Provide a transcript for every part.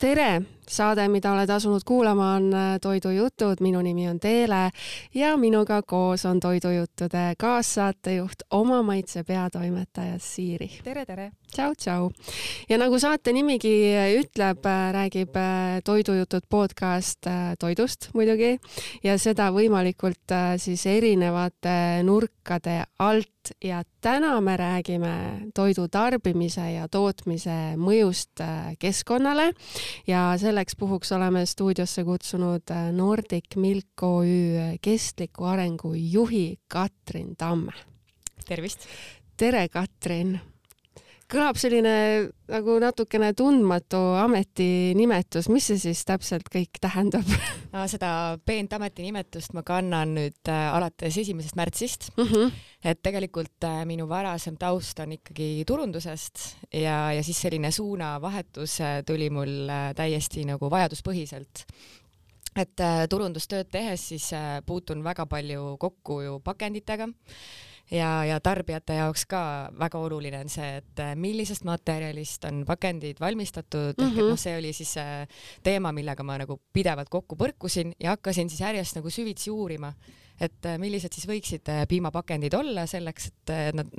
Tere! Saade, mida oled asunud kuulama, on Toidujutud. Minu nimi on Teele ja minuga koos on Toidujuttude kaassaatejuht, Oma Maitse peatoimetaja Siiri. Tere, tere! Tšau, tšau! Ja nagu saate nimigi ütleb, räägib Toidujutud podcast toidust muidugi ja seda võimalikult siis erinevate nurkade alt. Ja täna me räägime toidu tarbimise ja tootmise mõjust keskkonnale ja selleks puhuks oleme stuudiosse kutsunud Nordic Milk OÜ kestliku arengu juhi Katrin Tamme. Tervist! Tere, Katrin! Kõlab selline nagu natukene tundmatu ametinimetus. Mis see siis täpselt kõik tähendab? Seda peent ametinimetust ma kannan nüüd alates 1. märtsist. Et tegelikult minu varasem taust on ikkagi turundusest ja siis selline suunavahetus tuli mul täiesti nagu vajaduspõhiselt. Et turundustööd tehes siis puutun väga palju kokku ju pakenditega. Ja tarbijate jaoks ka väga oluline on see, et millisest materjalist on pakendid valmistatud. See oli siis teema, millega ma nagu pidevalt kokku põrkusin ja hakkasin siis järjest nagu süvitsi uurima, et millised siis võiksid piimapakendid olla selleks, et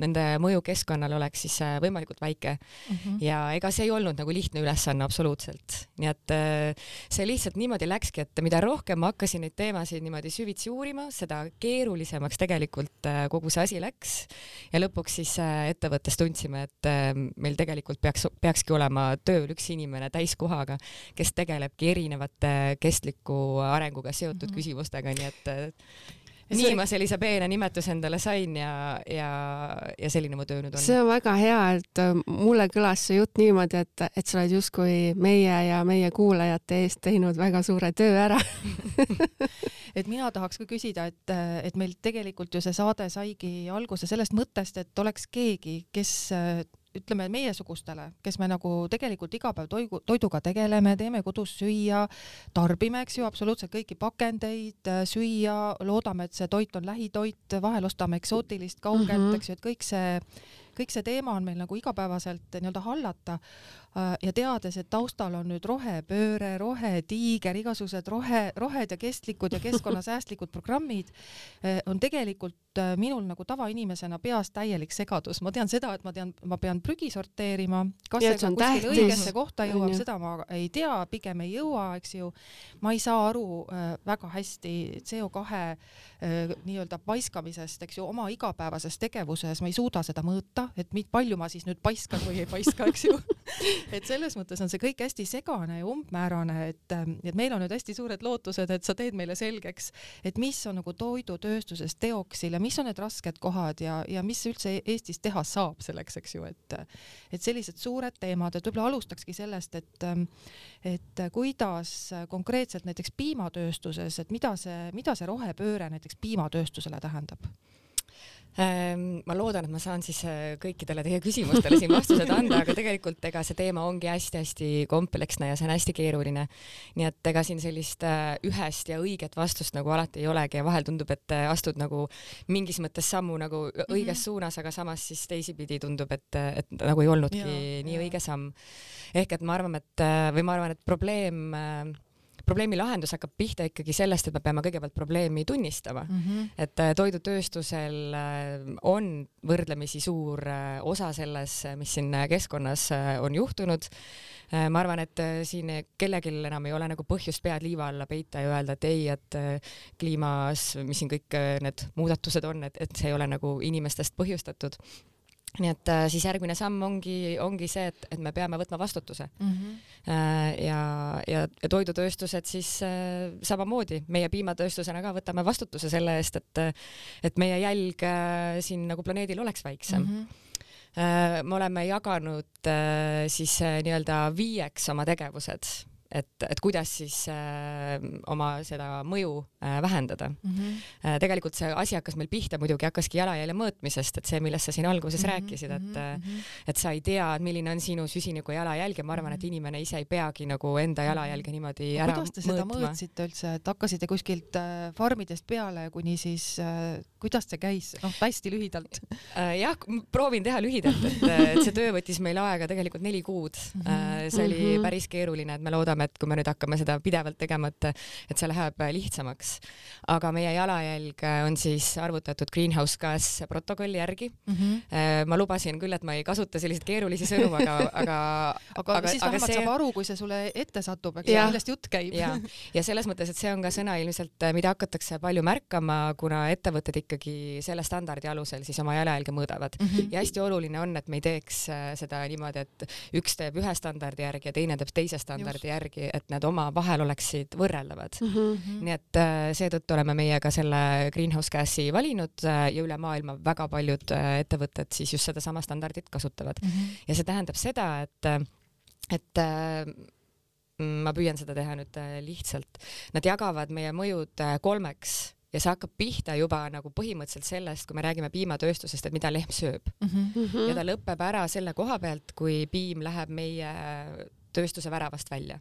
nende mõju keskkonnal oleks siis võimalikult väike. Ja ega see ei olnud nagu lihtne ülesanne absoluutselt. Nii et see lihtsalt niimoodi läkski, et mida rohkem ma hakkasin neid teemasid niimoodi süvitsi uurima, seda keerulisemaks tegelikult kogu see asi läks. Ja lõpuks siis ettevõttes tundsime, et meil tegelikult peakski olema tööl üks inimene täiskohaga, kes tegelebki erinevate kestliku arenguga seotud küsimustega, nii et nii ma sellise peene nimetus endale sain ja selline mu töö nüüd on. See on väga hea, et mulle kõlas see jutt niimoodi, et sa oled justkui meie ja meie kuulajate eest teinud väga suure töö ära. Et mina tahaks ka küsida, et meil tegelikult ju see saade saigi alguse sellest mõttest, et oleks keegi, kes ütleme meiesugustele, kes me nagu tegelikult iga päev toiduga tegeleme, teeme kodus süüa, tarbime, eks ju, absoluutselt kõiki pakendeid, süüa, loodame, et see toit on lähitoit, vahel ostame eksootilist kaugelt, eks ju, et kõik see teema on meil nagu igapäevaselt nii-öelda hallata ja teades, et taustal on nüüd rohepööre, rohetiiger, igasugused rohed ja kestlikud ja keskkonnasäästlikud programmid, on tegelikult minul nagu tavainimesena peas täielik segadus. Ma tean seda, et ma pean prügi sorteerima, kas see kuskil õigesse kohta jõuab, seda ma ei tea, pigem ei jõua, eks ju. Ma ei saa aru väga hästi CO2 nii-öelda paiskamisest, eks ju, oma igapäevases tegevuses, ma ei suuda seda mõõta, et palju ma siis nüüd paiskan või ei paiska, eks ju. Et selles mõttes on see kõik hästi segane ja umbmäärane, et meil on nüüd hästi suured lootused, et sa teed meile selgeks, et mis on nagu toidutööstuses teoksil ja mis on need rasked kohad ja mis üldse Eestis teha saab selleks, eks ju, et sellised suured teemad, et võib-olla alustakski sellest, et kuidas konkreetselt näiteks piimatööstuses, et mida see rohepööre näiteks piimatööstusele tähendab? Ma loodan, et ma saan siis kõikidele teie küsimustele siin vastused anda, aga tegelikult ega see teema ongi hästi-hästi kompleksne ja see on hästi keeruline. Nii et ega siin sellist ühest ja õiget vastust nagu alati ei olegi ja vahel tundub, et astud nagu mingis mõttes sammu nagu õiges suunas, aga samas siis teisipidi tundub, et nagu ei olnudki nii õige samm. Ehk et ma arvan, et probleemi lahendus hakkab pihta ikkagi sellest, et me peame kõigepealt probleemi tunnistama. Et toidutööstusel on võrdlemisi suur osa selles, mis siin keskkonnas on juhtunud. Ma arvan, et siin kellelgi enam ei ole nagu põhjust pead liiva alla peita ja öelda, et ei, et kliimas, mis siin kõik need muudatused on, et see ei ole nagu inimestest põhjustatud. Nii et siis järgmine samm ongi see, et me peame võtma vastutuse. Ja toidutööstused siis samamoodi, meie piimatööstusena ka võtame vastutuse selle eest, et meie jälg siin nagu planeedil oleks väiksem. Me oleme jaganud siis nii-öelda 5 oma tegevused. et kuidas siis oma seda mõju vähendada. Tegelikult see asi hakkas meil pihta muidugi hakkaski jalajälje mõõtmisest, et see, millest sa siin alguses rääkisid, et sa ei tea, milline on sinu süsiniku jalajälg ja ma arvan, et inimene ise ei peagi nagu enda jalajälge niimoodi ära mõõtma. Kuidas te seda mõõtsite üldse, et hakkasite kuskilt farmidest peale kuni siis, kuidas see käis? Hästi lühidalt. Jah, proovin teha lühidalt, et see töö võttis meil aega tegelikult 4 kuud. See oli päris keeruline, et me loodame, et kui me nüüd hakkame seda pidevalt tegema, et see läheb lihtsamaks. Aga meie jalajälg on siis arvutatud Greenhouse Gas protokolli järgi. Ma lubasin küll, et ma ei kasuta selliseid keerulisi sõnu, aga siis vähemalt saab aru, kui see sulle ette satub, millest jutt käib. Ja selles mõttes, et see on ka sõna ilmselt, mida hakatakse palju märkama, kuna ettevõtted ikkagi selle standardi alusel siis oma jalajälge mõõdavad. Ja hästi oluline on, et me ei teeks seda niimoodi, et üks teeb ühe standardi järgi ja teine teeb teise standardi järgi, et need oma vahel oleksid võrreldavad. Nii et seetõttu oleme meie ka selle Greenhouse Gasi valinud ja üle maailma väga paljud ettevõtted siis just seda sama standardit kasutavad. Ja see tähendab seda, et ma püüan seda teha nüüd lihtsalt. Nad jagavad meie mõjud 3 ja see hakkab pihta juba nagu põhimõtteliselt sellest, kui me räägime piimatööstusest, et mida lehm sööb. Ja ta lõpeb ära selle koha pealt, kui piim läheb meie tööstuse väravast välja.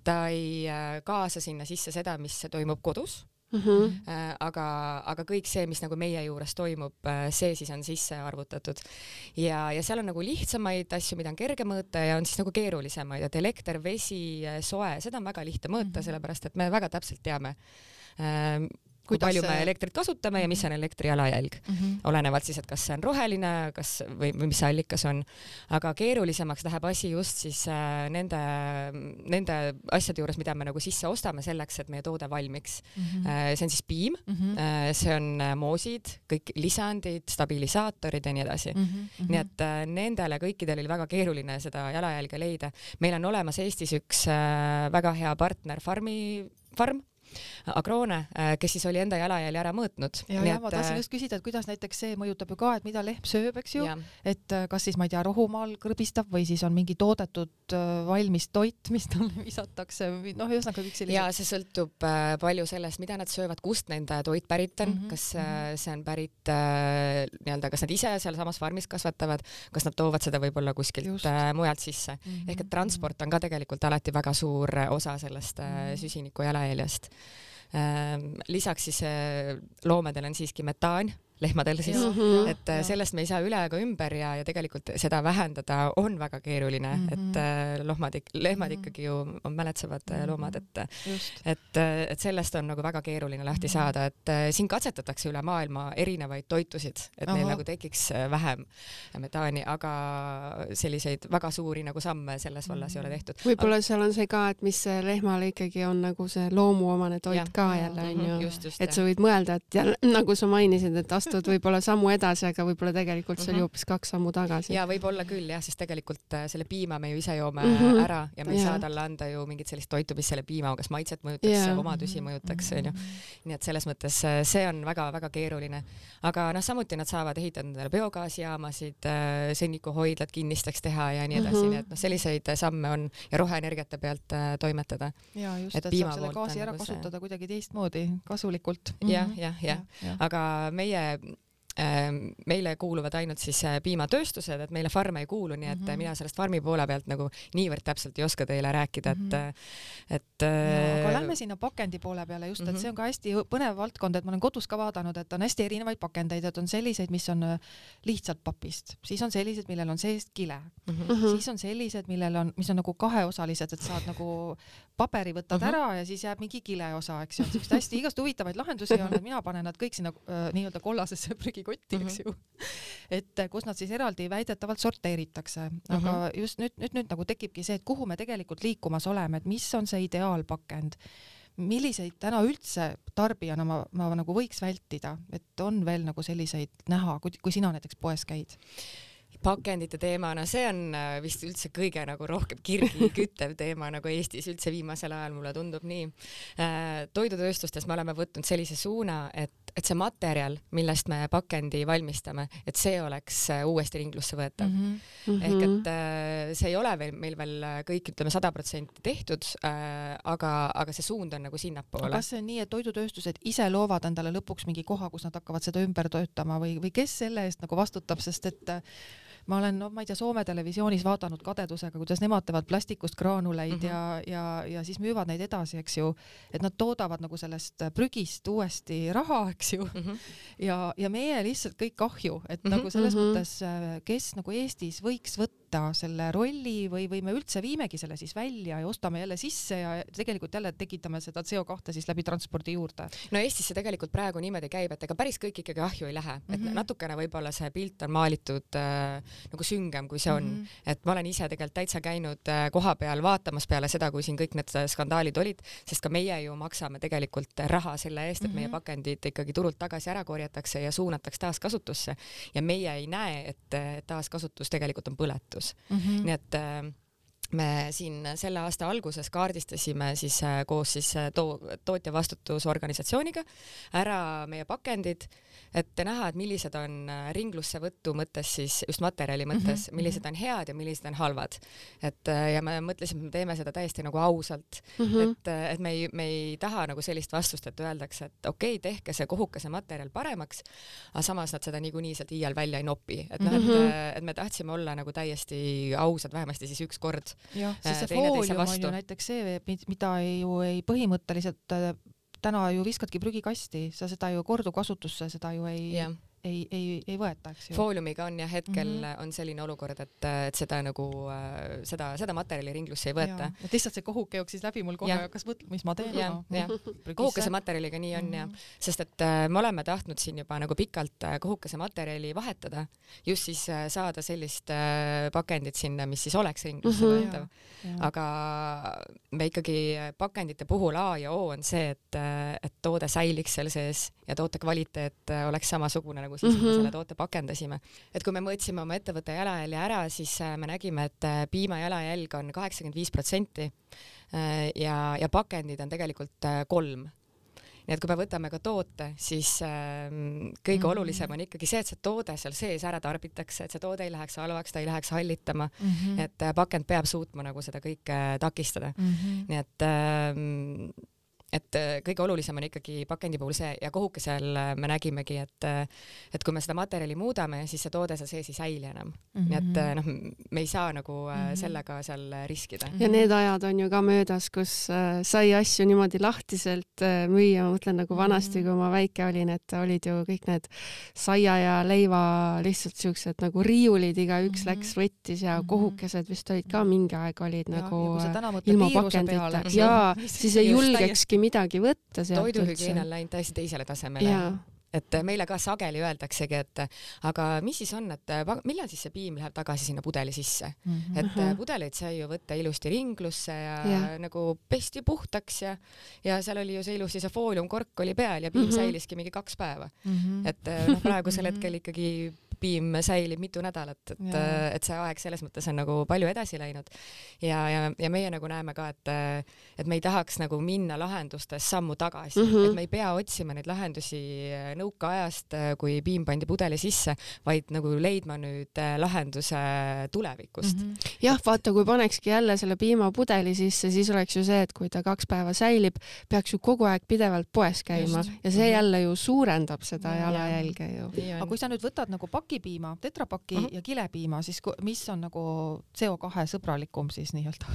Ta ei kaasa sinna sisse seda, mis toimub kodus. Aga kõik see, mis nagu meie juures toimub, see siis on sisse arvutatud. Ja seal on nagu lihtsamaid asju, mida on kerge mõõta ja on siis nagu keerulisemaid, et elekter, vesi, soe, seda on väga lihtne mõõta, sellepärast et me väga täpselt teame, kui palju me elektrit kasutame ja mis on elektri jalajälg. Olenevalt siis, et kas see on roheline või mis see allikas on. Aga keerulisemaks läheb asi just siis nende asjade juures, mida me nagu sisse ostame selleks, et meie toode valmiks. See on siis piim, see on moosid, kõik lisandid, stabilisaatorid ja nii edasi. Nii et nendele kõikidel oli väga keeruline seda jalajälge leida. Meil on olemas Eestis üks väga hea partner farm, Agrone, kes siis oli enda jalajälje ära mõõtnud. Ja ma tahtsin just küsida, et kuidas näiteks see mõjutab ju ka, et mida lehm sööb, eks ju, et kas siis, ma ei tea, rohumaal kõrbistab või siis on mingi toodetud valmis toit, mis talle visatakse, ühesõnaga kõik sellised. Ja see sõltub palju sellest, mida nad söövad, kust nende toit pärit on, kas see on pärit nii-öelda, kas nad ise seal samas farmis kasvatavad, kas nad toovad seda võib-olla kuskilt mujalt sisse. Ehk et transport on ka tegelikult alati väga suur osa sellest süsiniku jalajäljest. Lisaks siis loomadel on siiski metaan, lehmadel siis, et sellest me ei saa üle ega ümber ja tegelikult seda vähendada on väga keeruline, et lehmad ikkagi ju on mäletsevad loomad, et sellest on nagu väga keeruline lahti saada, et siin katsetatakse üle maailma erinevaid toitusid, et neil nagu tekiks vähem metaani, aga selliseid väga suuri nagu samme selles vallas ei ole tehtud. Võib-olla seal on see ka, et mis lehmale ikkagi on nagu see loomuomane toit ka jälle, et sa võid mõelda, et jälle, nagu sa mainisid, et võib-olla sammu edasi, aga võib-olla tegelikult see oli hoopis 2 sammu tagasi. Ja võib-olla küll jah, sest tegelikult selle piima me ju ise joome ära ja me ei saa talle anda ju mingit sellist toitu, mis selle piima, kas maitset mõjutaks, omadusi mõjutaks. Nii et selles mõttes see on väga-väga keeruline. Aga samuti nad saavad ehitada endale biogaasijaamasid, sõnnikuhoidlad kinnisteks teha ja nii edasi. Nii et selliseid samme on ja roheenergiate pealt toimetada. Ja just, et saab selle gaasi ära kasutada kuidagi teistmoodi, kasulikult. Ja. Aga meile kuuluvad ainult siis piimatööstused, et meile farme ei kuulu, nii et mina sellest farmi poole pealt nagu niivõrd täpselt ei oska teile rääkida, aga lähme sinna pakendi poole peale just, et see on ka hästi põnev valdkond, et ma olen kodus ka vaadanud, et on hästi erinevaid pakendeid, et on selliseid, mis on lihtsalt papist, siis on sellised, millel on seest kile, siis on sellised, mis on nagu kaheosalised, et saad nagu paberi võtad ära ja siis jääb mingi kile osa, eks ju, et hästi igast huvitavaid lahendusi on, et mina panen nad kõik sinna nii-öelda kollasesse prügikotti, eks ju. Et kus nad siis eraldi väidetavalt sorteeritakse. Aga just nüüd nagu tekibki see, et kuhu me tegelikult liikumas oleme, et mis on see ideaalpakend, milliseid täna üldse tarbijana ma nagu võiks vältida, et on veel nagu selliseid näha, kui sina näiteks poes käid. Pakendite teemana, see on vist üldse kõige nagu rohkem kirgi küttev teema nagu Eestis üldse viimasel ajal, mulle tundub nii. Toidutööstustes me oleme võtnud sellise suuna, et et see materjal, millest me pakendi valmistame, et see oleks uuesti ringlusse võetav. Ehk et see ei ole meil veel kõik, ütleme 100% tehtud, aga see suund on nagu sinnapoole. Kas see on nii, et toidutööstused ise loovad endale lõpuks mingi koha, kus nad hakkavad seda ümber töötama või kes selle eest nagu vastutab, sest et ma olen, ma ei tea, Soome televisioonis vaadanud kadedusega, kuidas nemad teevad plastikust graanuleid ja siis müüvad neid edasi, eks ju, et nad toodavad nagu sellest prügist uuesti raha, eks ju, ja meie lihtsalt kõik kahju, et nagu selles mõttes, kes nagu Eestis võiks võtta selle rolli või me üldse viimegi selle siis välja ja ostame jälle sisse ja tegelikult jälle tekitame seda CO2 siis läbi transpordi juurde. No Eestis see tegelikult praegu niimoodi käib, et ega päris kõik ikkagi ahju ei lähe, et natukene võib-olla see pilt on maalitud nagu süngem, kui see on. Et ma olen ise tegelikult täitsa käinud koha peal vaatamas peale seda, kui siin kõik need skandaalid olid, sest ka meie ju maksame tegelikult raha selle eest, et meie pakendid ikkagi turult tagasi ära korjatakse ja suunatakse taaskasutusse ja meie ei näe, et taaskasutus tegelikult on põletus. Nii et me siin selle aasta alguses kaardistasime siis koos siis tootja vastutusorganisatsiooniga ära meie pakendid, et näha, et millised on ringlusse võtu mõttes siis just materjali mõttes, millised on head ja millised on halvad. Et ja me mõtlesime, et me teeme seda täiesti nagu ausalt, et me ei taha nagu sellist vastust, et öeldakse, et okei, tehke see kohukese materjal paremaks, aga samas nad seda niikuinii sealt iial välja ei nopi. Et, et me tahtsime olla nagu täiesti ausad, vähemasti siis üks kord. Jah, sest see foolium on ju näiteks see, mida ju ei põhimõtteliselt täna ju viskadki prügikasti, sa seda ju kordukasutusse, seda ju ei võeta, eks ju. Fooliumiga on ja hetkel on selline olukord, et seda nagu seda materjali ringlusse ei võeta. Et lihtsalt see kohuke jooksis läbi mul kohe, kas mõtled, mis ma teen? Kohukese materjaliga nii on ja sest et me oleme tahtnud siin juba nagu pikalt kohukese materjali vahetada, just siis saada sellist pakendit sinna, mis siis oleks ringlusse võetav. Aga me ikkagi pakendite puhul A ja O on see, et toode säiliks seal sees ja toote kvaliteet oleks samasugune nagu siis, kui me selle toote pakendasime. Et kui me mõõtsime oma ettevõtte jalajälje ära, siis me nägime, et piima jalajälg on 85% ja pakendid on tegelikult 3%. Nii et kui me võtame ka toote, siis kõige olulisem on ikkagi see, et see toode seal sees ära tarbitakse, et see toode ei läheks halvaks, ta ei läheks hallitama, et pakend peab suutma nagu seda kõike takistada. Nii et kõige olulisem on ikkagi pakendi puhul see ja kohukesel me nägimegi, et kui me seda materjali muudame, siis see toode seal sees ei säili enam. Nii et me ei saa nagu sellega seal riskida. Ja need ajad on ju ka möödas, kus sai asju niimoodi lahtiselt müüa. Ma mõtlen nagu vanasti, kui ma väike olin, et olid ju kõik need saia ja leiva lihtsalt siuksed nagu riiulid, igaüks läks võttis ja kohukesed vist olid ka mingi aeg olid nagu ilma pakendita. Ja siis ei julgekski midagi võtta sealt. Toiduhügieen on läinud täiesti teisele tasemele. Et meile ka sageli öeldaksegi, et aga mis siis on, et millal siis see piim läheb tagasi sinna pudeli sisse? Et pudeleid sai ju võtta ilusti ringlusse ja nagu pesti puhtaks ja seal oli ju see ilusti see fooliumkork oli peal ja piim säiliski mingi 2 päeva. Et praegusel hetkel ikkagi piim säilib mitu nädalat, et see aeg selles mõttes on nagu palju edasi läinud ja meie nagu näeme ka, et me ei tahaks nagu minna lahendustes sammu tagasi, et me ei pea otsima neid lahendusi nõukaajast, kui piim pandi pudeli sisse, vaid nagu leidma nüüd lahenduse tulevikust. Jah, vaata, kui panekski jälle selle piima pudeli sisse, siis oleks ju see, et kui ta 2 päeva säilib, peaks ju kogu aeg pidevalt poes käima ja see jälle ju suurendab seda jalajälge ju. Aga kui sa nüüd võtad nagu pakipiima, tetrapaki ja kilepiima, siis mis on nagu CO2 sõbralikum siis nii-öelda?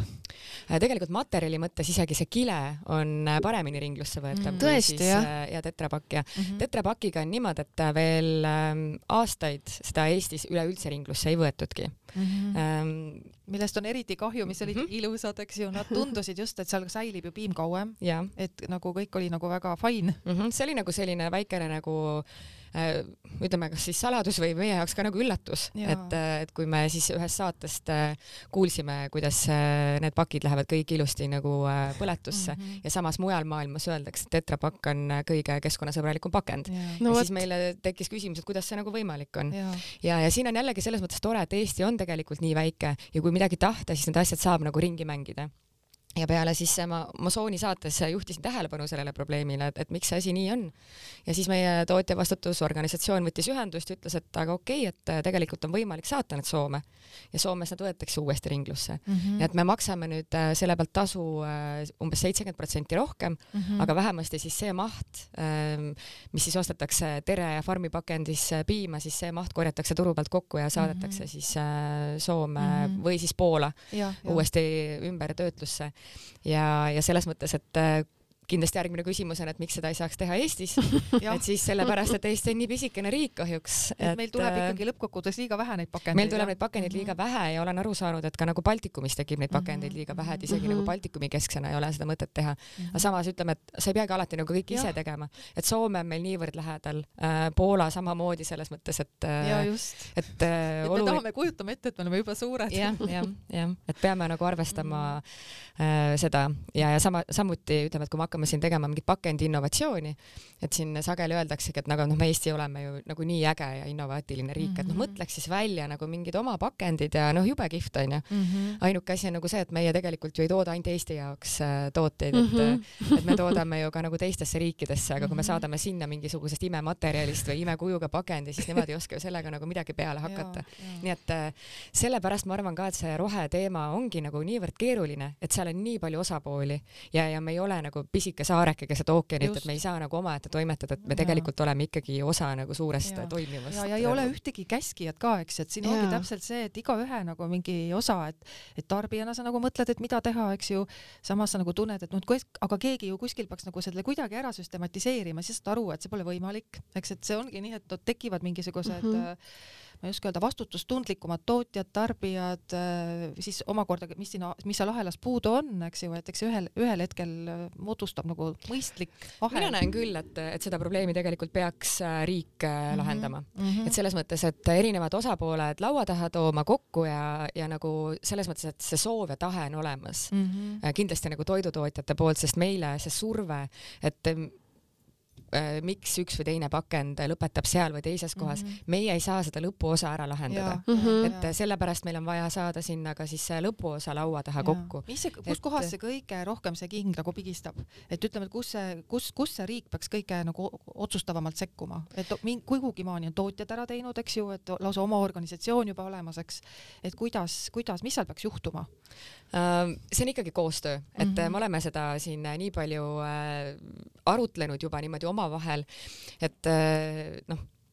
Tegelikult materjali mõttes isegi see kile on paremini ringlusse võetav Tõesti, ja tetrapakk ja tetrapakiga on niimoodi, et veel aastaid seda Eestis üleüldse ringlusse ei võetudki. Millest on eriti kahju, mis olid ilusad, eks ju, nad tundusid just, et seal säilib ju piim kauem, et nagu kõik oli nagu väga fine. See oli nagu selline väikene nagu ütleme, kas siis saladus või meie jaoks ka nagu üllatus, et kui me siis ühest saatest kuulsime, kuidas need pakid lähevad kõik ilusti nagu põletusse ja samas mujal maailmas öeldakse, et tetrapakk on kõige keskkonnasõbralikum pakend. Ja siis meile tekkis küsimus, et kuidas see nagu võimalik on. Ja siin on jällegi selles mõttes tore, et Eesti on tegelikult nii väike ja kui midagi tahta, siis need asjad saab nagu ringi mängida. ja peale siis ma Sooni saates juhtisin tähelepanu sellele probleemile, et miks see asi nii on. Ja siis meie tootjavastutusorganisatsioon võttis ühendust ja ütles, et aga okei, et tegelikult on võimalik saata need Soome ja Soomes nad võetakse uuesti ringlusse. Ja et me maksame nüüd selle pealt tasu umbes 70% rohkem, aga vähemasti siis see maht, mis siis ostetakse Tere ja Farmi pakendis piima, siis see maht korjatakse turu pealt kokku ja saadetakse siis Soome või siis Poola uuesti ümber töötlusse. Ja selles mõttes, et kindlasti järgmine küsimus on, et miks seda ei saaks teha Eestis. Et siis sellepärast, et Eesti on nii pisikene riik kahjuks. Et meil tuleb ikkagi lõppkokkuvõttes liiga vähe neid pakendeid. Meil tuleb neid pakendeid liiga vähe ja olen aru saanud, et ka nagu Baltikumis tekib neid pakendeid liiga vähe, et isegi nagu Baltikumi kesksena ei ole seda mõtet teha. Aga samas ütleme, et sa ei peagi alati nagu kõik ise tegema. Et Soome on meil niivõrd lähedal, Poola samamoodi selles mõttes, et me tahame kujutama ette, et me oleme juba suured. Ja, et peame nagu arvestama seda ja samuti ütleme, et kui me hakkame siin tegema mingit pakendi innovatsiooni, et siin sageli öeldaksegi, et nagu me Eesti oleme ju nagu nii äge ja innovaatiline riik, et mõtleks siis välja nagu mingid oma pakendid ja jube kihvt on ju. Ainuke asi on nagu see, et meie tegelikult ju ei tooda ainult Eesti jaoks tooteid, et me toodame ju ka nagu teistesse riikidesse, aga kui me saadame sinna mingisugusest imematerjalist või imekujuga pakendi, siis nemad ei oska ju sellega nagu midagi peale hakata. Nii et sellepärast ma arvan ka, et see roheteema ongi nagu niivõrd keeruline, et seal on nii palju osapooli ja me ei ole nagu pisike saareke keset ookeanit, et me ei saa nagu omaette toimetada, et me tegelikult oleme ikkagi osa nagu suurest toimivast. Ja ei ole ühtegi käskijat ka, eks, et siin ongi täpselt see, et igaühe nagu mingi osa, et tarbijana sa nagu mõtled, et mida teha, eks ju, samas sa nagu tunned, et aga keegi ju kuskil peaks nagu selle kuidagi ära süstematiseerima, siis saad aru, et see pole võimalik, eks, et see ongi nii, et tekivad mingisugused ma ei oska öelda, vastutustundlikumad tootjad, tarbijad, siis omakorda, mis seal ahelas puudu on, eks ju, et eks ühel hetkel moodustab nagu mõistlik ahel. Mina näen küll, et seda probleemi tegelikult peaks riik lahendama. Et selles mõttes, et erinevad osapooled laua taha tooma kokku ja nagu selles mõttes, et see soov ja tahe on olemas. Kindlasti nagu toidutootjate poolt, sest meile see surve, et miks üks või teine pakend lõpetab seal või teises kohas. Meie ei saa seda lõpuosa ära lahendada. Et sellepärast meil on vaja saada sinna ka siis lõpuosa laua taha kokku. Kus kohas see kõige rohkem see king nagu pigistab? Et ütleme, et kus see riik peaks kõige nagu otsustavamalt sekkuma? Et kuhugi maani on tootjad ära teinud, eks ju, et lausa oma organisatsioon juba olemas, eks. Et kuidas, mis seal peaks juhtuma? See on ikkagi koostöö, et me oleme seda siin nii palju arutlenud juba niimoodi omavahel, et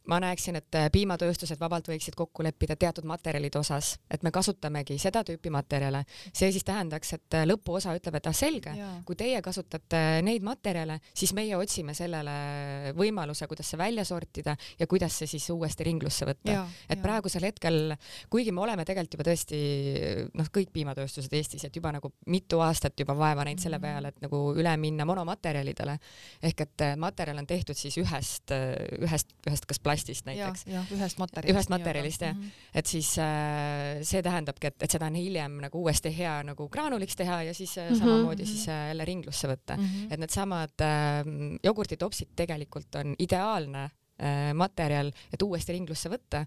ma näeksin, et piimatööstused vabalt võiksid kokku leppida teatud materjalide osas, et me kasutamegi seda tüüpi materjale. See siis tähendaks, et lõpuosa ütleb, et selge, kui teie kasutate neid materjale, siis meie otsime sellele võimaluse, kuidas see välja sortida ja kuidas see siis uuesti ringlusse võtta. Et praegusel hetkel, kuigi me oleme tegelikult juba tõesti kõik piimatööstused Eestis, et juba nagu mitu aastat juba vaeva näinud selle peale, et nagu üle minna monomaterjalidele, ehk et materjal on tehtud siis ühest kas plastist näiteks. Ühest materjalist, jah. Et siis see tähendabki, et seda on hiljem nagu uuesti hea nagu graanuliks teha ja siis samamoodi siis jälle ringlusse võtta. Et need samad jogurtitopsid tegelikult on ideaalne materjal, et uuesti ringlusse võtta.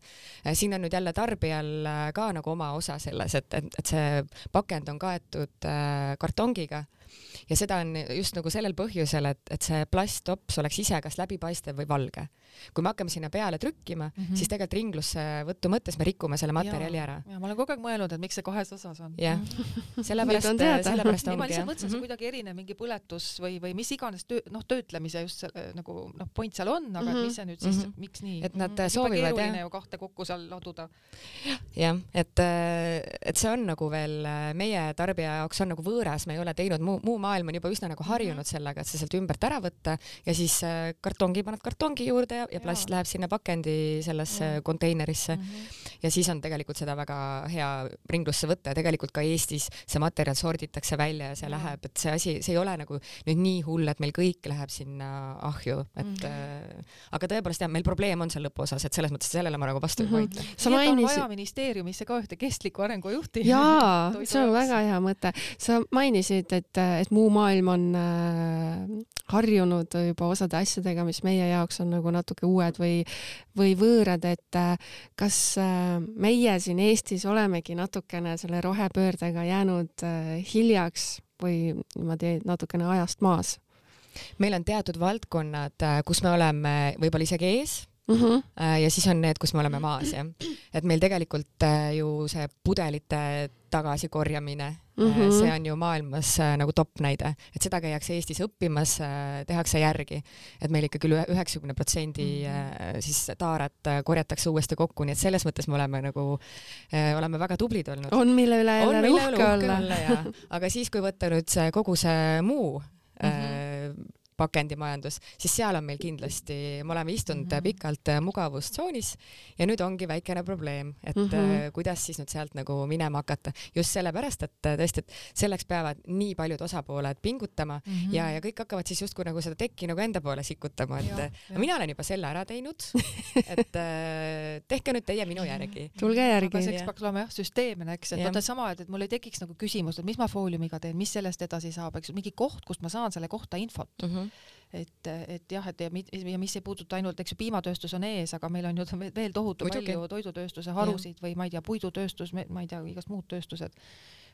Siin on nüüd jälle tarbijal ka nagu oma osa selles, et see pakend on kaetud kartongiga ja seda on just nagu sellel põhjusel, et see plasttops oleks ise kas läbipaistev või valge. Kui me hakkame sinna peale trükkima, siis tegelikult ringlusse võttu mõttes me rikume selle materjali ära. Ja ma olen kogu aeg mõelnud, et miks see kahes osas on. Jah, sellepärast ongi. Ma lihtsalt mõtlesin, see kuidagi erinev mingi põletus või mis iganes töötlemise just nagu point seal on, aga mis see nüüd siis, miks nii? Et nad soovivad, keeruline ju kahte kokku seal laduda. Jah, et see on nagu veel meie tarbija jaoks on nagu võõras, me ei ole teinud muu maailm on juba üsna nagu harjunud sellega, et see sealt ümbert ära võtta ja siis kartongi paned kartongi juurde ja plast läheb sinna pakendi sellesse konteinerisse ja siis on tegelikult seda väga hea ringlusse võtta ja tegelikult ka Eestis see materjal sorditakse välja ja see läheb, et see asi, see ei ole nagu nüüd nii hull, et meil kõik läheb sinna ahju, et aga tõepoolest jah, meil probleem on seal lõpuosas, et selles mõttes sellele ma nagu vastu ei vaidle. Nii on vaja ministeeriumisse ka ühte kestliku arengu juhti. Jaa, see on väga hea mõte. Sa mainisid, et muu maailm on harjunud juba osade asjadega, mis meie jaoks on nagu natuke uued või võõrad, et kas meie siin Eestis olemegi natukene selle rohepöördega jäänud hiljaks või niimoodi natukene ajast maas? meil on teatud valdkonnad, kus me oleme võib-olla isegi ees ja siis on need, kus me oleme maas, jah. Et meil tegelikult ju see pudelite tagasikorjamine, see on ju maailmas nagu top näide, et seda käiakse Eestis õppimas, tehakse järgi, et meil ikkagi üle 90% siis taarat korjatakse uuesti kokku, nii et selles mõttes me oleme nagu, oleme väga tublid olnud. On mille üle jälle uhke olla. Aga siis, kui võtta nüüd see kogu see muu pakendimajandus, siis seal on meil kindlasti, me oleme istunud pikalt mugavustsoonis ja nüüd ongi väikene probleem, et kuidas siis nüüd sealt nagu minema hakata. Just sellepärast, et tõesti, et selleks peavad nii paljud osapooled pingutama ja kõik hakkavad siis justkui nagu seda tekki nagu enda poole sikutama, et mina olen juba selle ära teinud, et tehke nüüd teie minu järgi. Tulge järgi. Aga seks peaks olema süsteemne, eks, et vaata sama, et mul ei tekiks nagu küsimus, et mis ma fooliumiga teen, mis sellest edasi saab, eks, mingi koht, kust ma saan selle kohta infot. Et jah, et ja mis ei puuduta ainult, eks ju, piimatööstus on ees, aga meil on ju veel tohutu palju toidutööstuse harusid või ma ei tea, puidutööstus, ma ei tea, igast muud tööstused,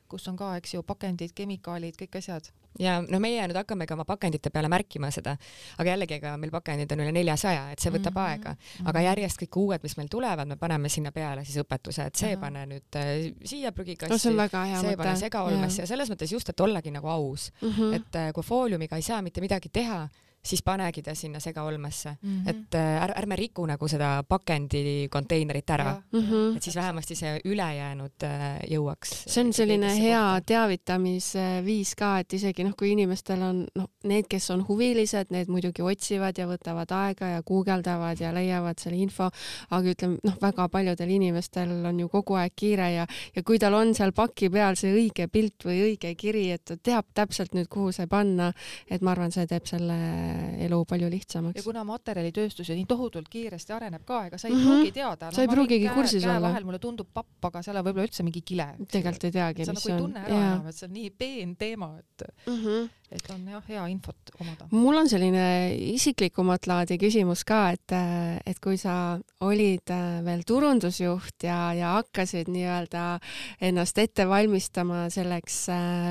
kus on ka, eks ju, pakendid, kemikaalid, kõik asjad. Ja no meie nüüd hakkame ka oma pakendite peale märkima seda, aga jällegi meil pakendid on üle 400, et see võtab aega, aga järjest kõik uued, mis meil tulevad, me paneme sinna peale siis õpetuse, et see pane nüüd siia prügikasti, see pane segaolmesse ja selles mõttes just, et ollagi nagu aus, et kui fooliumiga ei saa mitte midagi teha, siis panegi ta sinna segaolmesse, et ärme riku nagu seda pakendi konteinerit ära, et siis vähemasti see ülejäänud jõuaks. See on selline hea teavitamisviis ka, et isegi kui inimestel on need, kes on huvilised, need muidugi otsivad ja võtavad aega ja guugeldavad ja leiavad selle info, aga ütleme, väga paljudel inimestel on ju kogu aeg kiire ja kui tal on seal paki peal see õige pilt või õige kiri, et ta teab täpselt nüüd, kuhu see panna, et ma arvan, see teeb selle elu palju lihtsamaks. Ja kuna materjalitööstus nii tohutult kiiresti areneb ka, ega sa ei pruugi teada. Sa ei pruugigi kursis olla. Vahel mulle tundub papp, aga seal on võib-olla üldse mingi kile. Tegelikult ei teagi, mis on. Sa nagu ei tunne ära enam, et see on nii peen teema, et on hea infot omada. Mul on selline isiklikumat laadi küsimus ka, et kui sa olid veel turundusjuht ja hakkasid nii-öelda ennast ette valmistama selleks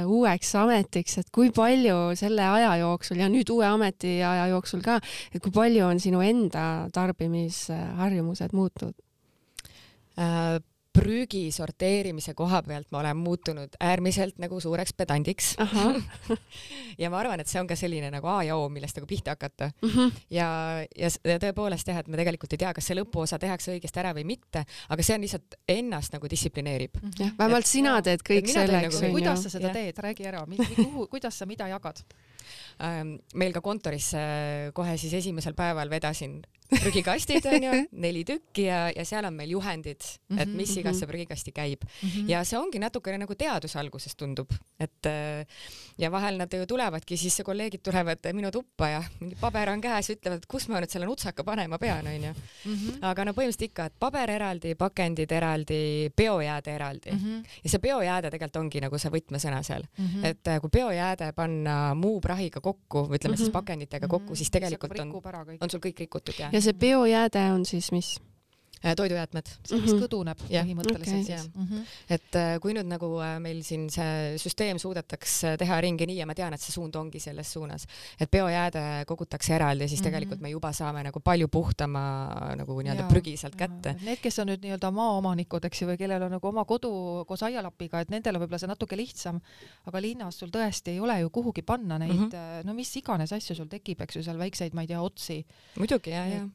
uueks ametiks, et kui palju selle aja jooksul ja nüüd uue ameti aja jooksul ka, et kui palju on sinu enda tarbimisharjumused muutunud? Prügi sorteerimise koha pealt ma olen muutunud äärmiselt nagu suureks pedandiks. Ja ma arvan, et see on ka selline nagu A ja O, millest nagu pihta hakata. Ja tõepoolest jah, et me tegelikult ei tea, kas see lõpuosa tehakse õigesti ära või mitte, aga see on lihtsalt ennast nagu distsiplineerib. Vähemalt sina teed kõik selleks. Kuidas sa seda teed? Räägi ära. Kuidas sa mida jagad? Meil ka kontoris kohe siis esimesel päeval vedasin prügikastid, on ju, 4 tükki ja seal on meil juhendid, et mis igasse prügikasti käib. Ja see ongi natukene nagu teadus alguses tundub, et ja vahel nad ju tulevadki, siis kolleegid tulevad minu tuppa ja mingi paber on käes, ütlevad, et kus ma nüüd selle nutsaka panema pean, on ju. Aga no põhimõtteliselt ikka, et paber eraldi, pakendid eraldi, biojääde eraldi. Ja see biojääde tegelikult ongi nagu see võtmesõna seal. Et kui biojääde panna muu prahiga kokku, või ütleme siis pakenditega kokku, siis tegelikult on sul kõik rikutud. Ja see biojääde on siis mis? Toidujäätmed. See, mis kõduneb põhimõtteliselt siis. Et kui nüüd nagu meil siin see süsteem suudetaks teha ringi nii ja ma tean, et see suund ongi selles suunas, et biojääde kogutakse eraldi, siis tegelikult me juba saame nagu palju puhtama nagu nii-öelda prügi sealt kätte. Need, kes on nüüd nii-öelda maaomanikud, eks ju, või kellel on nagu oma kodu koos aialapiga, et nendel on võib-olla see natuke lihtsam, aga linnas sul tõesti ei ole ju kuhugi panna neid, no mis iganes asju sul tekib, eks ju, seal väikseid, ma ei tea, otsi. Muidugi, jah.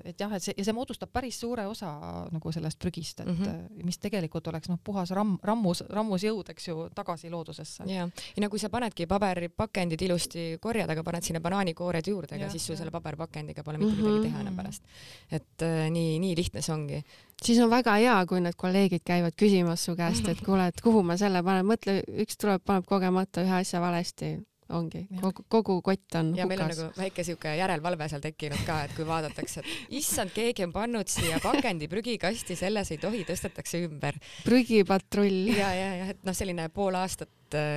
Et jah, et see moodustab päris suure osa nagu sellest prügist, et mis tegelikult oleks puhas rammus jõud, eks ju, tagasi loodusesse. Ja nagu sa panedki paberpakendid ilusti korjad, aga paned sinna banaanikoored juurde, aga siis sul selle paberpakendiga pole mitte midagi teha enam pärast. Et nii lihtne see ongi. Siis on väga hea, kui need kolleegid käivad küsimas su käest, et kuule, et kuhu ma selle panen, mõtle, üks tuleb, paneb kogemata ühe asja valesti. Ongi, kogu kott on ja hukas. Meil on nagu väike siuke järelvalve seal tekkinud ka, et kui vaadatakse, et issand, keegi on pannud siia pakendi prügikasti, selles ei tohi, tõstetakse ümber. Prügipatrull. Ja, et selline pool aastat,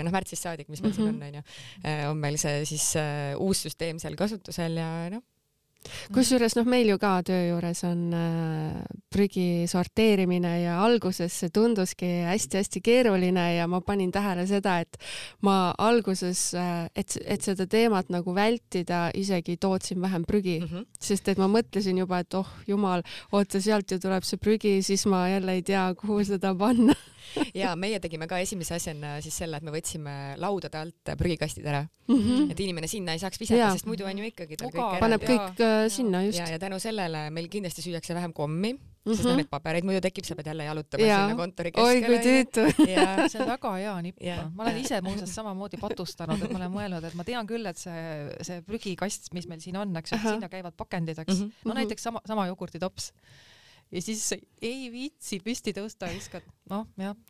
märtsist saadik, mis meil siin on ju, on meil see siis uus süsteem seal kasutusel ja Kusjuures meil ju ka töö juures on prügi sorteerimine ja alguses see tunduski hästi-hästi keeruline ja ma panin tähele seda, et ma alguses, et seda teemat nagu vältida, isegi tootsin vähem prügi, sest et ma mõtlesin juba, et oh jumal, oota, sealt ju tuleb see prügi, siis ma jälle ei tea, kuhu seda panna. Ja meie tegime ka esimese asjana siis selle, et me võtsime laudade alt prügikastid ära, et inimene sinna ei saaks visata, sest muidu on ju ikkagi tal kõik paneb kõik sinna just. Ja tänu sellele meil kindlasti süüakse vähem kommi, sest need pabereid muidu tekib, sa pead jälle jalutama sinna kontori keskele. Oi, kui tüütu. See on väga hea nipp. Ma olen ise muuseas samamoodi patustanud, et ma olen mõelnud, et ma tean küll, et see prügikast, mis meil siin on, eks, sinna käivad pakendid, eks. No näiteks sama jogurtitops. Ja siis ei viitsi püsti tõusta, viskad,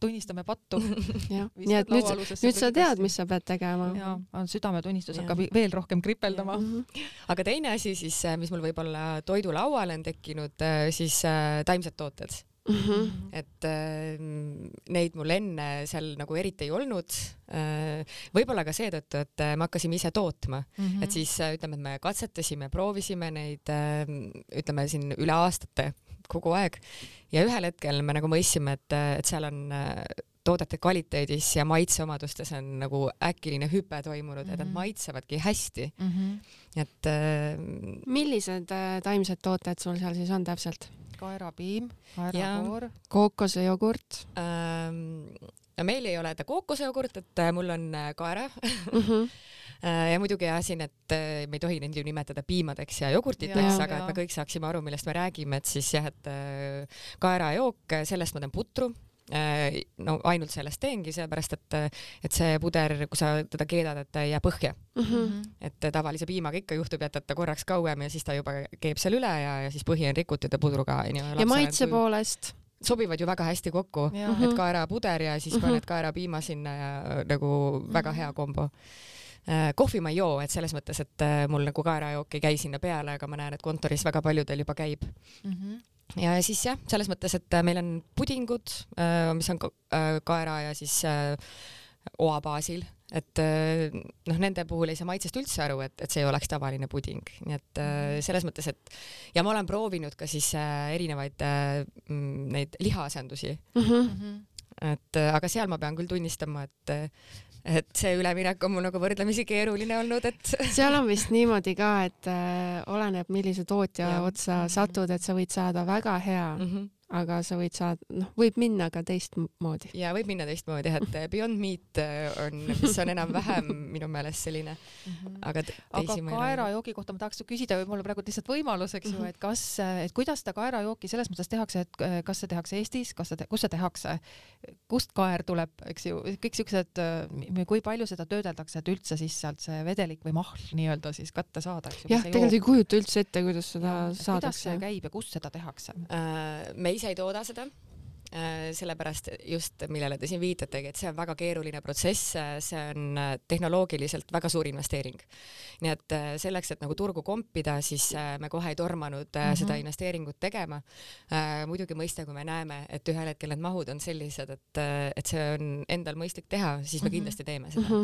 tunnistame pattu. Nii et nüüd sa tead, mis sa pead tegema. Ja, südametunnistus hakkab veel rohkem kripeldama. Aga teine asi siis, mis mul võib-olla toidulauale on tekkinud, siis taimsed tooted. Et neid mul enne seal nagu eriti ei olnud. Võib-olla ka seetõttu, et me hakkasime ise tootma. Et siis ütleme, et me katsetasime, proovisime neid, ütleme siin üle aastate kogu aeg ja ühel hetkel me nagu mõistsime, et seal on toodete kvaliteedis ja maitseomadustes on nagu äkiline hüpe toimunud, et nad maitsevadki hästi. Et millised taimsed tooted sul seal siis on täpselt? Kaerapiim, kaerakoor, kookosejogurt. Meil ei ole kookosejogurt, et mul on kaera. Ja muidugi siin, et me ei tohi neid ju nimetada piimadeks ja jogurtiteks, aga et me kõik saaksime aru, millest me räägime, et siis jah, et kaerajook, sellest ma teen putru. No ainult sellest teengi, seepärast, et see puder, kui sa teda keedad, et ta ei jää põhja. Et tavalise piimaga ikka juhtub, jätad ta korraks kauem ja siis ta juba keeb seal üle ja siis põhi on rikutud ja pudruga. Ja maitse poolest? Sobivad ju väga hästi kokku, et kaerapuder ja siis paned kaerapiima sinna ja nagu väga hea kombo. Kohvi ma ei joo, et selles mõttes, et mul nagu kaerajook ei käi sinna peale, aga ma näen, et kontoris väga paljudel juba käib. Ja siis jah, selles mõttes, et meil on pudingud, mis on kaera ja siis oa baasil, et nende puhul ei saa maitsest üldse aru, et see ei oleks tavaline puding. Nii et selles mõttes, et ja ma olen proovinud ka siis erinevaid neid lihaasendusi. Et aga seal ma pean küll tunnistama, et see üleminek on mul nagu võrdlemisi keeruline olnud, et seal on vist niimoodi ka, et oleneb, millise tootja otsa satud, et sa võid saada väga hea, aga sa võid saada, võib minna ka teistmoodi. Ja võib minna teistmoodi, et Beyond Meat on, mis on enam-vähem minu meelest selline, aga kaerajoogi kohta ma tahaks küsida, või mul praegu lihtsalt võimalus, eks ju, et kuidas seda kaerajooki selles mõttes tehakse, et kas see tehakse Eestis, kus see tehakse, kust kaer tuleb, eks ju, kõik siuksed, kui palju seda töödeldakse, et üldse siis sealt see vedelik või mahl nii-öelda siis kätte saada. Jah, tegelikult ei kujuta üldse ette, kuidas seda saadakse. Kuidas see käib ja kust seda tehakse? Me ise ei tooda seda, sellepärast just, millele te siin viitategi, et see on väga keeruline protsess, see on tehnoloogiliselt väga suur investeering. Nii et selleks, et nagu turgu kompida, siis me kohe ei tormanud seda investeeringut tegema. Muidugi mõista, kui me näeme, et ühel hetkel need mahud on sellised, et see on endal mõistlik teha, siis me kindlasti teeme seda.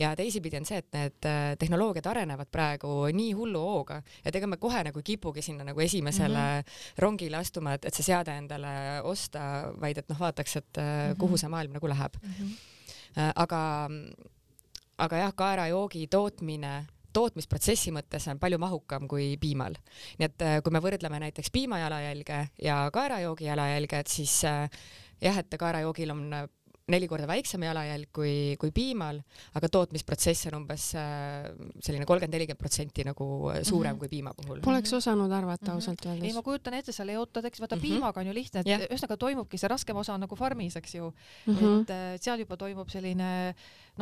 Ja teisipidi on see, et need tehnoloogiad arenevad praegu nii hullu hooga, et ega me kohe nagu kipugi sinna nagu esimesele rongile astuma, et see seade endale osta, vaid et vaataks, et kuhu see maailm nagu läheb. Aga jah, kaerajoogi tootmisprotsessi mõttes on palju mahukam kui piimal. Nii et kui me võrdleme näiteks piima jalajälge ja kaerajoogi jalajälge, et siis jah, et kaerajoogil on 4 korda väiksem jalajälg kui piimal, aga tootmisprotsess on umbes selline 30-40% nagu suurem kui piima puhul. Poleks osanud arvata ausalt öeldes. Ei, ma kujutan ette, sa leotad, eks vaata piimaga on ju lihtne, et ühesõnaga toimubki see raskem osa nagu farmis, eks ju. Et seal juba toimub selline,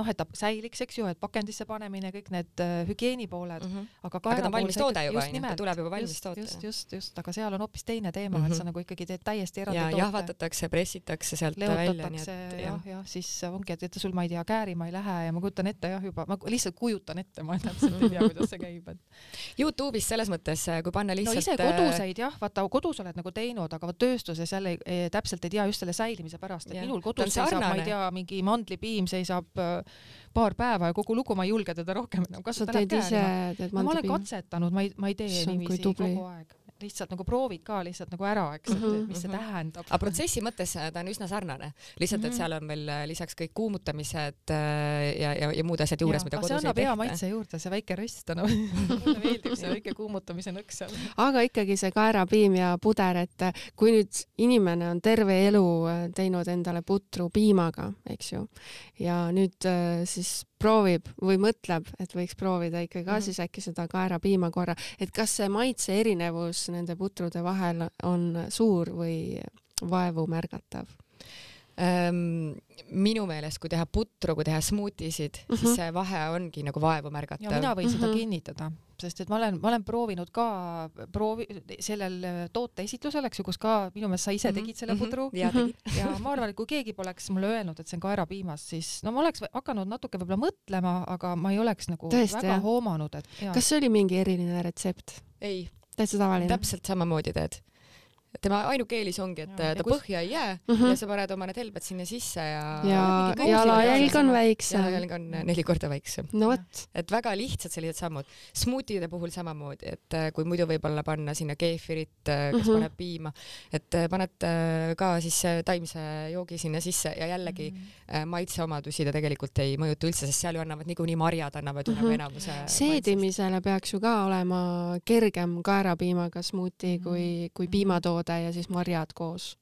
et ta säiliks, eks ju, et pakendisse panemine, kõik need hügieenipooled. Aga ta on valmis toode juba, ta tuleb juba valmis toode. Just, aga seal on hoopis teine teema, et sa nagu ikkagi teed täiesti eraldi toote. Ja jahvatatakse, pressitakse sealt välja. Ja siis ongi, et sul ma ei tea, käärima ei lähe ja ma kujutan ette juba, ma lihtsalt kujutan ette, ma täpselt ei tea, kuidas see käib. YouTube'is selles mõttes, kui panna lihtsalt... No ise koduseid jah, vaata kodus oled nagu teinud, aga tööstuses jälle täpselt ei tea just selle säilimise pärast, et minul kodus seisab, ma ei tea, mingi mandlipiim seisab paar päeva ja kogu lugu, ma ei julge teda rohkem enam kasutada. Ma olen katsetanud, ma ei tee niiviisi kogu aeg. Lihtsalt nagu proovid ka lihtsalt nagu ära, eks, et mis see tähendab. Aga protsessi mõttes ta on üsna sarnane. Lihtsalt, et seal on veel lisaks kõik kuumutamised ja muud asjad juures, mida kodus ei tehta. See annab hea maitse juurde, see väike rist, mulle meeldib see väike kuumutamise nõks seal. Aga ikkagi see kaerapiim ja puder, et kui nüüd inimene on terve elu teinud endale putru piimaga, eks ju, ja nüüd siis proovib või mõtleb, et võiks proovida ikkagi ka siis äkki seda kaerapiima korra, et kas see maitse erinevus nende putrude vahel on suur või vaevu märgatav? Minu meelest, kui teha putru, kui teha smuutisid, siis see vahe ongi nagu vaevu märgatav. Ja mina võin seda kinnitada, sest et ma olen proovinud ka sellel toote esitlusel, eks ju, kus ka minu meelest sa ise tegid selle putru ja ma arvan, et kui keegi poleks mulle öelnud, et see on kaerapiimas, siis no ma oleks hakanud natuke võib-olla mõtlema, aga ma ei oleks nagu väga hoomanud, et Kas see oli mingi eriline retsept? Ei. Täitsa tavaline? Täpselt samamoodi teed. Tema ainuke eelis ongi, et ta põhja ei jää ja sa paned oma need helbed sinna sisse ja jalajälg on väiksem. Jalajälg on 4 korda väiksem. No võt. Et väga lihtsad sellised sammud. Smuutide puhul samamoodi, et kui muidu võib-olla panna sinna keefirit, kes paneb piima, et paned ka siis taimse joogi sinna sisse ja jällegi maitseomadusi ta tegelikult ei mõjuta üldse, sest seal ju annavad niikuinii marjad, annavad ju nagu enamuse. Seedimisele peaks ju ka olema kergem kaerapiimaga smuuti kui piimatood ja siis marjad koos.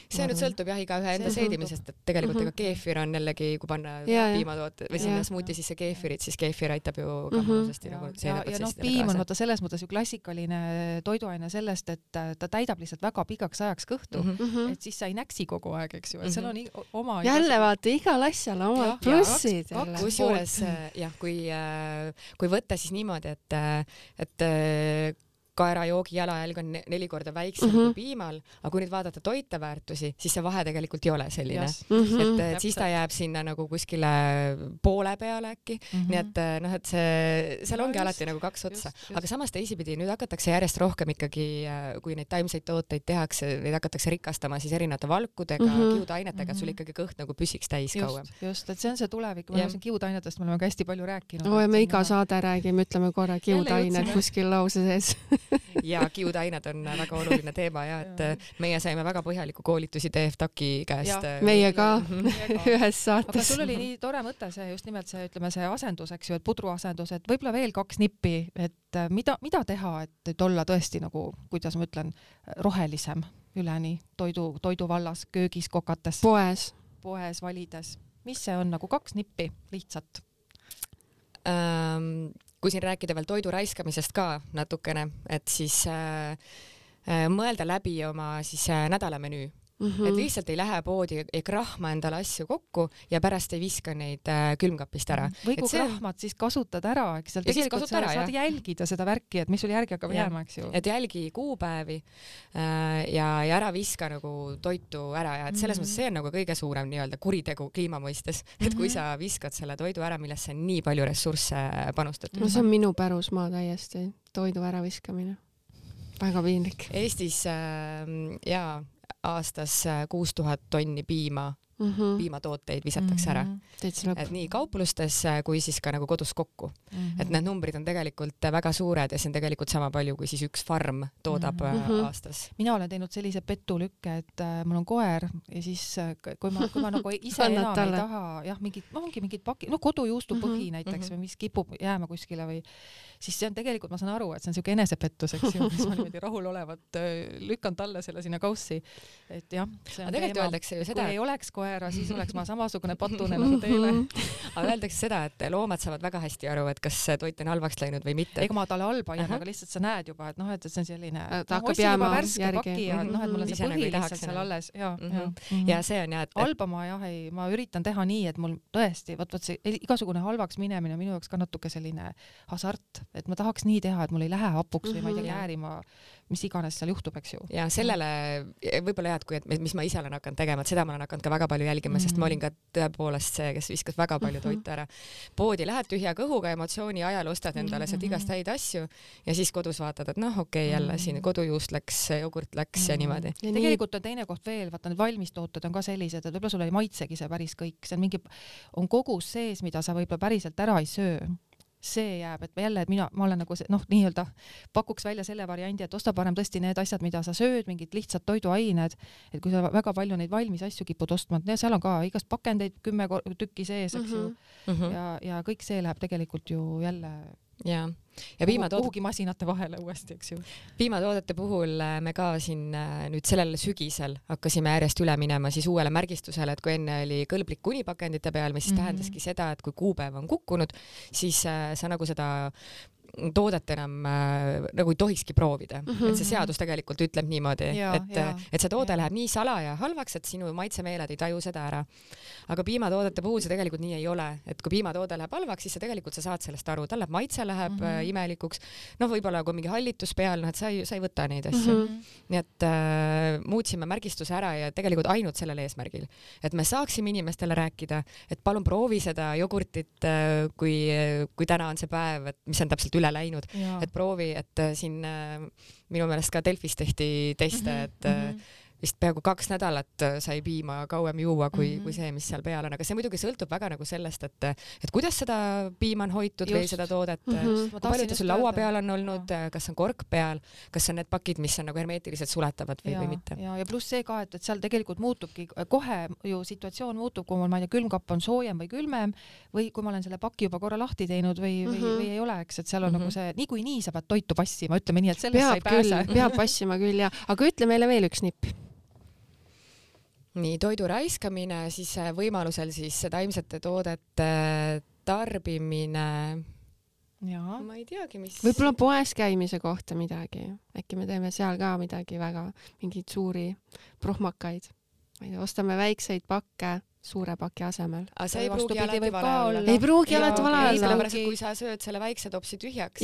See nüüd sõltub jah igaühe enda seedimisest, et tegelikult ega keefir on jällegi, kui panna piimatoote või sinna smuuti sisse keefirit, siis keefir aitab ju ka mõnusasti nagu seeneprotsessile piim on vaata selles mõttes ju klassikaline toiduaine sellest, et ta täidab lihtsalt väga pikaks ajaks kõhtu, et siis sa ei näksi kogu aeg, eks ju, et seal on oma jälle vaata, igal asjal omad plussid. Kusjuures jah, kui võtta siis niimoodi, et kaerajoogi jalajälg on 4 korda väiksem kui piimal, aga kui nüüd vaadata toiteväärtusi, siis see vahe tegelikult ei ole selline. Et siis ta jääb sinna nagu kuskile poole peale äkki. Nii et noh, et seal ongi alati nagu 2 otsa. Aga samas teisipidi nüüd hakatakse järjest rohkem ikkagi, kui neid taimseid tooteid tehakse, neid hakatakse rikastama siis erinevate valkudega, kiudainetega, et sul ikkagi kõht nagu püsiks täis kauem. Just, et see on see tulevik. Ma olen kiudainetest, me oleme hästi palju rääkinud. Me iga saade räägime, ütleme korra kiudainet kuskil lause sees. Ja kiudained on väga oluline teema ja et meie saime väga põhjaliku koolitusi TFTAK-i käest. Meie ka ühes saates. Aga sul oli nii tore mõte see, just nimelt see, ütleme see asendus, eks ju, et pudruasendus, et võib-olla veel 2 nippi, et mida teha, et olla tõesti nagu, kuidas ma ütlen, rohelisem üleni toidu vallas, köögis, kokates. Poes valides. Mis see on nagu 2 nippi lihtsalt? Kui siin rääkida veel toidu raiskamisest ka natukene, et siis mõelda läbi oma siis nädalamenüü. Et lihtsalt ei lähe poodi, ei krahma endale asju kokku ja pärast ei viska neid külmkapist ära. Või kui krahmad, siis kasutad ära, eks seal tegelikult saad jälgida seda värki, et mis sul järgi hakkab jääma, eks ju. Et jälgi kuupäevi ja ära viska nagu toitu ära ja et selles mõttes see on nagu kõige suurem nii-öelda kuritegu kliima mõistes, et kui sa viskad selle toidu ära, millesse on nii palju ressursse panustatud. No see on minu pärusmaa täiesti, toidu äraviskamine. Väga piinlik. Eestis aastas 6000 tonni piimatooteid visatakse ära. Et nii kauplustes kui siis ka nagu kodus kokku. Et need numbrid on tegelikult väga suured ja see on tegelikult sama palju, kui siis üks farm toodab aastas. Mina olen teinud sellise petulükke, et mul on koer ja siis kui ma nagu ise enam ei taha, jah, mingid paki, no kodujuustu põhi näiteks või mis kipub jääma kuskile või siis see on tegelikult, ma saan aru, et see on selline enesepettus, eks ju, mis ma niimoodi rahulolevat lükkan talle selle sinna kaussi. Et jah, see on teema. Kui ei oleks koera, siis oleks ma samasugune patune nagu teile. Aga öeldakse seda, et loomad saavad väga hästi aru, et kas toit on halvaks läinud või mitte. Ega ma talle halba ei anna, aga lihtsalt sa näed juba, et noh, et see on selline ta hakkab jääma järgi. Ja noh, et mul on see põhi lihtsalt seal alles. Ja see on jah, et halba ma üritan teha nii, et mul tõesti, võt see igasugune halvaks minemine minu jaoks ka natuke selline hasart, et ma tahaks nii teha, et mul ei lähe hapuks või ma ei tea käärima, mis iganes seal juhtub, eks ju. Ja sellele võib-olla jah, et mis ma ise olen hakanud tegema, et seda ma olen hakanud ka väga palju jälgima, sest ma olin ka tõepoolest see, kes viskas väga palju toitu ära. Poodi lähed tühja kõhuga, emotsiooni ajal ostad endale sealt igast häid asju ja siis kodus vaatad, et noh, okei, jälle siin kodujuust läks, jogurt läks ja niimoodi. Ja tegelikult on teine koht veel, vaata need valmistooted on ka sellised, et võib-olla sulle ei maitsegi see päris kõik, see on kogus sees, mida sa võib-olla päriselt ära ei söö. See jääb, et jälle, et ma olen nagu see, nii-öelda pakuks välja selle variandi, et osta parem tõesti need asjad, mida sa sööd, mingid lihtsad toiduained, et kui sa väga palju neid valmis asju kipud ostma, seal on ka igast pakendeid 10 tükki sees, eks ju. Ja kõik see läheb tegelikult ju jälle ja kuhugi masinate vahele uuesti, eks ju. Piimatoodete puhul me ka siin nüüd sellel sügisel hakkasime järjest üle minema siis uuele märgistusele, et kui enne oli kõlblik kunipakendite peal, mis tähendaski seda, et kui kuupäev on kukkunud, siis sa nagu seda toodet enam nagu ei tohikski proovida. Et see seadus tegelikult ütleb niimoodi, et see toode läheb nii salaja halvaks, et sinu maitsemeeled ei taju seda ära. Aga piimatoodete puhul see tegelikult nii ei ole. Et kui piimatoode läheb halvaks, siis tegelikult sa saad sellest aru. Tal läheb maitse, läheb imelikuks. Võib-olla kui mingi hallitus peal, et sa ei võta neid asju. Nii et muutsime märgistuse ära ja tegelikult ainult sellel eesmärgil. Et me saaksime inimestele rääkida, et palun proovi seda jogurtit, kui täna on see päev, et mis on täpselt üle läinud, et proovi, et siin minu meelest ka Delfis tehti teste, et vist peaaegu 2 nädalat sai piima kauem juua kui see, mis seal peal on, aga see muidugi sõltub väga nagu sellest, et kuidas seda piima on hoitud või seda toodet, kui palju ta sul laua peal on olnud, kas on kork peal, kas on need pakid, mis on nagu hermeetiliselt suletavad või mitte. Ja pluss see ka, et seal tegelikult muutubki, kohe ju situatsioon muutub, kui mul külmkapp on soojem või külmem või kui ma olen selle paki juba korra lahti teinud või ei ole, eks, et seal on nagu see, niikuinii sa pead toitu passima, ütleme nii, et sellest sa ei pääse. Peab passima küll, aga ütle meile veel üks nipp. Nii, toidu raiskamine, siis võimalusel siis taimsete toodete tarbimine. Ma ei teagi, mis... Võib-olla poes käimise kohta midagi. Äkki me teeme seal ka midagi väga, mingeid suuri prohmakaid. Ostame väikseid pakke suure paki asemel. Aga see ei pruugi alati vale olla. Ei pruugi alati vale olla. Sellepärast, et kui sa sööd selle väikse topsi tühjaks,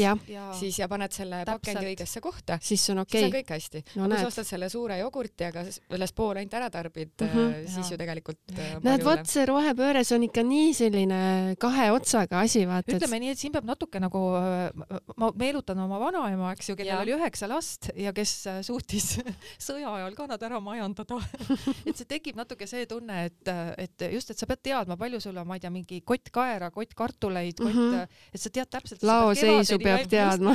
siis ja paned selle pakendi õigesse kohta, siis on okei. See on kõik hästi. Kui sa ostad selle suure jogurti, aga sellest pool ainult ära tarbid, siis ju tegelikult näed, vot see rohepööres on ikka nii selline 2 otsaga asi, vaata. Ütleme nii, et siin peab natuke nagu, ma meelutan oma vanaema, eks ju, kellel oli 9 last ja kes suutis sõja ajal ka nad ära majandada. Et see tekib natuke see tunne, et just, et sa pead teadma, palju sul on, ma ei tea, mingi kott kaera, kott kartuleid, et sa tead täpselt. Laoseisu peab teadma.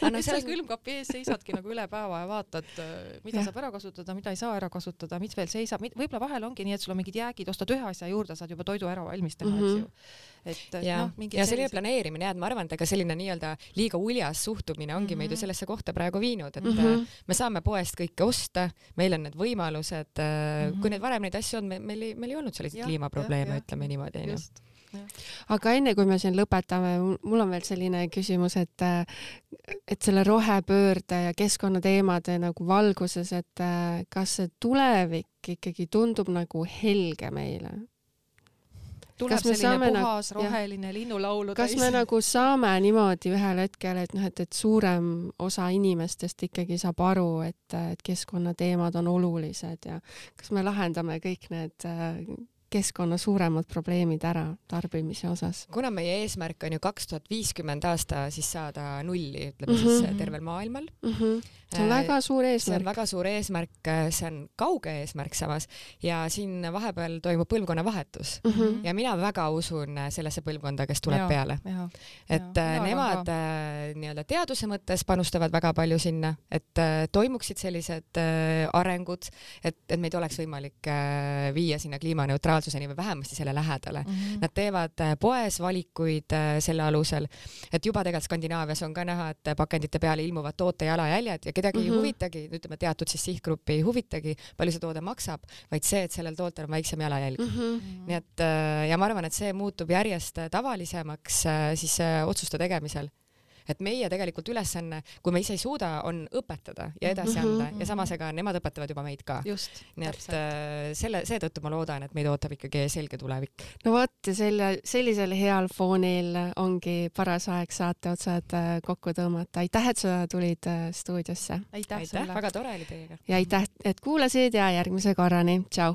Et sa külmkapi ees seisadki nagu üle päeva ja vaatad, mida saab ära kasutada, mida ei saa ära kasutada, mis veel seisab. Võib-olla vahel ongi nii, et sul on mingid jäägid, ostad ühe asja juurde, saad juba toidu ära valmistada, eks ju. Ja selline planeerimine, ma arvan, et ega selline nii-öelda liiga uljas suhtumine ongi meid ju sellesse kohta praegu viinud, et me saame poest kõike osta, meil on need võimalused, kui need varem neid asju on, meil ei olnud selliseid kliimaprobleeme, ütleme niimoodi. Aga enne kui me siin lõpetame, mul on veel selline küsimus, et selle rohepöörde ja keskkonnateemade nagu valguses, et kas see tulevik ikkagi tundub nagu helge meile? Tuleb selline puhas, roheline linnulaulu. Kas me nagu saame niimoodi ühel hetkel, et suurem osa inimestest ikkagi saab aru, et keskkonnateemad on olulised ja kas me lahendame kõik need keskkonna suuremad probleemid ära tarbimise osas? Kuna meie eesmärk on ju 2050 aasta siis saada nulli, ütleme siis tervel maailmal. See on väga suur eesmärk. See on väga suur eesmärk, see on kauge eesmärk samas ja siin vahepeal toimub põlvkonna vahetus ja mina väga usun sellesse põlvkonda, kes tuleb peale. Et nemad nii-öelda teaduse mõttes panustavad väga palju sinna, et toimuksid sellised arengud, et meid oleks võimalik viia sinna kliimaneutraalsuseni või vähemasti selle lähedale. Nad teevad poes valikuid selle alusel, et juba tegelikult Skandinaavias on ka näha, et pakendite peale ilmuvad toote jalajäljed ja kedagi ei huvitagi, ütleme teatud siis sihtgruppi ei huvitagi, palju see toode maksab, vaid see, et sellel tootel on väiksem jalajälg. Nii et, ja ma arvan, et see muutub järjest tavalisemaks siis otsuste tegemisel. Et meie tegelikult ülesanne, kui me ise ei suuda, on õpetada ja edasi anda ja samas ega nemad õpetavad juba meid ka. Just, nii et seetõttu ma loodan, et meid ootab ikkagi selge tulevik. No vot, sellisel heal foonil ongi paras aeg saate otsad kokku tõmmata. Aitäh, et sa tulid stuudiosse. Aitäh, väga tore oli teiega. Ja aitäh, et kuulasid ja järgmise korrani. Tšau!